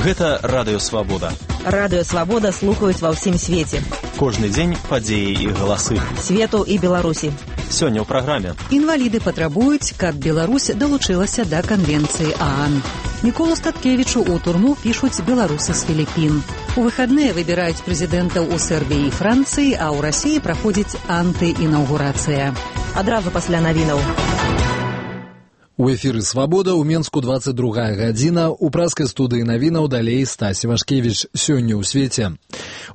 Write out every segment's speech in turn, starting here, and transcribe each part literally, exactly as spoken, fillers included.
Гэта Радыё Свабода. Радыё Свабода слухаюць ва ўсім свеце. Кожны дзень падзеі і галасы. Свету і Беларусі. Сёння ў праграме. Інваліды патрабуюць, каб Беларусь далучылася да канвенцыі ААН. Міколу Статкевічу ў турму пішуць беларусы з Філіппін. У выхадныя выбіраюць прэзідэнтаў у Сербіі і Францыі, а ў Расіі праходзіць антыінаўгурацыя. Адразу пасля навінаў. У эфіры «Свабода» ў Менску двадцать другая гадзіна. У праскай студыі навінаў далей Стась Івашкевіч. Сёння ў свеце.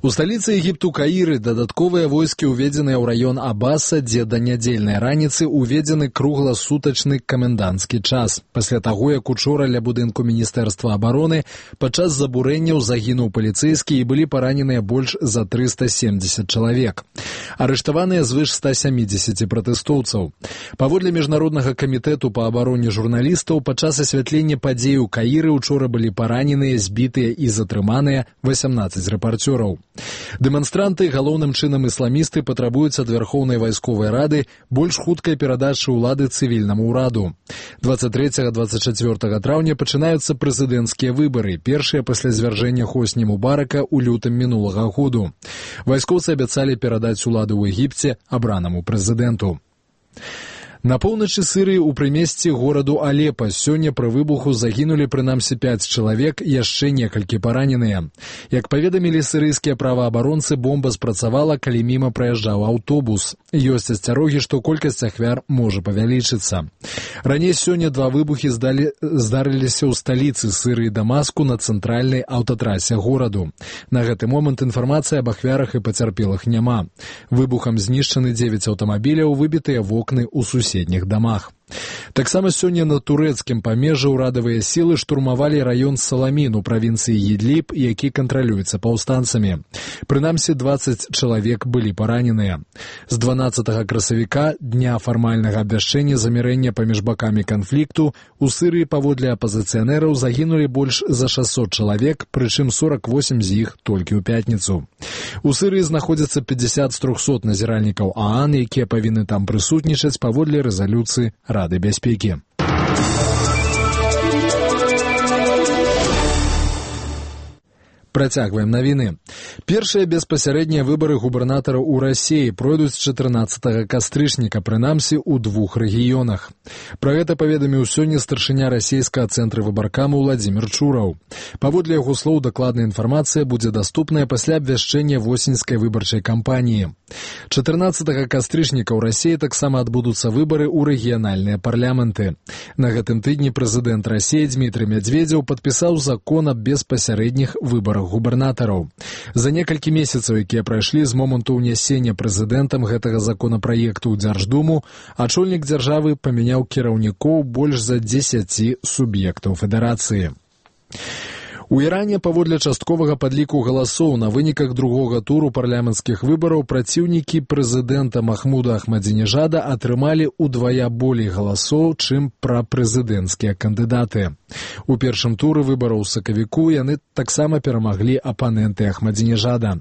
У сталіцы Егіпту Каіры дадатковыя войскі уведзеныя ў раён Абаса, дзе да нядзельнай раніцы уведзены кругласутачны каменданцкі час. Пасля таго, як учора ля будынку Міністэрства абароны падчас забурэнняў загінуў паліцэйскі і былі параненыя больш за трыста семдзесят чалавек. Арыштаваныя звыш ста сямідзесят пратэстоўцаў. Паводле Міжнароднага камітэту па абароне журналістаў, падчас асвятлення падзей у Каіры учора былі параненыя, збітыя і затрыманыя васямнаццаць рэпарцёраў. Дэманстранты, галоўным чынам ісламісты, патрабуюць ад Вярхоўнай вайсковай рады больш хуткай перадачы ўлады цывільнаму ўраду. двадцать трэцяга - двадцать чацвёртага траўня пачынаюцца прэзідэнцкія выбары, першыя пасля звяржэння Хосні Мубарака ў лютым мінулага году. Вайскоўцы абяцалі перадаць уладу ў Егіпце абранаму прэзідэнту. На поўначы Сірыі ў прымесці гораду Алепа сёння пры выбуху загінулі прынамсі пяць чалавек, яшчэ некалькі параненыя. Як паведамілі сірыйскія праваабаронцы, бомба спрацавала, калі міма праязджаў аўтобус. Ёсць асцярогі, што колькасць ахвяр можа павялічыцца. Раней сёння два выбухі здалі, здарыліся ў сталіцы Сірыі Дамаску на цэнтральнай аўтатрасе гораду. На гэты момант інфармацыі аб ахвярах і пацярпелых няма. Выбухам знішчаны дзевяць аўтамабіляў, выбітыя вокны ў суседніх суседніх дамах. Таксама сёння на турэцкім памежжы ўрадавыя сілы штурмавалі раён Саламін у правінцыі Ідліб, які кантралюецца паўстанцамі. Прынамсі дваццаць чалавек былі параненыя. З дванаццатага красавіка, дня фармальнага абвяшчэння замірэння паміж бакамі канфлікту, у Сірыі паводле апазіцыянераў загінулі больш за шасцьсот чалавек, прычым сорок восемь з іх толькі ў пятніцу. У Сірыі знаходзяцца пятьдесят з трохсот назіральнікаў ААН, якія павінны там прысутнічаць паводле рэзалюцыі Рады бяспекі. Працягваем навіны. Першыя беспасярэднія выбары губернатара ў Расіі пройдуць чатырнаццатага кастрычніка, прынамсі ў двух рэгіёнах. Пра гэта паведаміў сёння старшыня расійскага цэнтра выбаркаму Владзімір Чураў. Паводле яго слоў, дакладная інфармацыя будзе даступная пасля абвяшчэння восеньскай выбарчай кампаніі. чатырнаццатага кастрычніка ў Расіі таксама адбудуцца выбары ў рэгіянальныя парламенты. На гэтым тыдні прэзідэнт Расіі Дмітрый Медведзеў падпісаў закон аб беспасярэдніх выбарах губернатараў. За некалькі месяцаў, якія прайшлі з моманту ўнясення прэзідэнтам гэтага законапраекту ў Дзярждуму, ачольнік дзяржавы памяняў кіраўнікоў больш за дзесяці суб'ектаў федэрацыі. У Іране паводле частковага падліку галасоў на выніках другога туру парламенцкіх выбараў праціўнікі прэзідэнта Махмуда Ахмадзінежада атрымалі ўдвая болей галасоў, чым прапрэзідэнцкія кандыдаты. У першым туры выбараў у сакавіку яны таксама перамаглі апаненты Ахмадзінежада.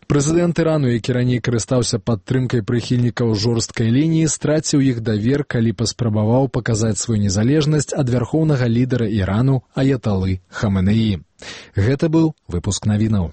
Прэзідэнт Ірану, які раней карыстаўся падтрымкай прыхільнікаў жорсткай лініі, страціў іх давер, калі паспрабаваў паказаць сваю незалежнасць ад вярхоўнага лідара Ірану аяталы Хаменеі. Гэта быў выпуск навінаў.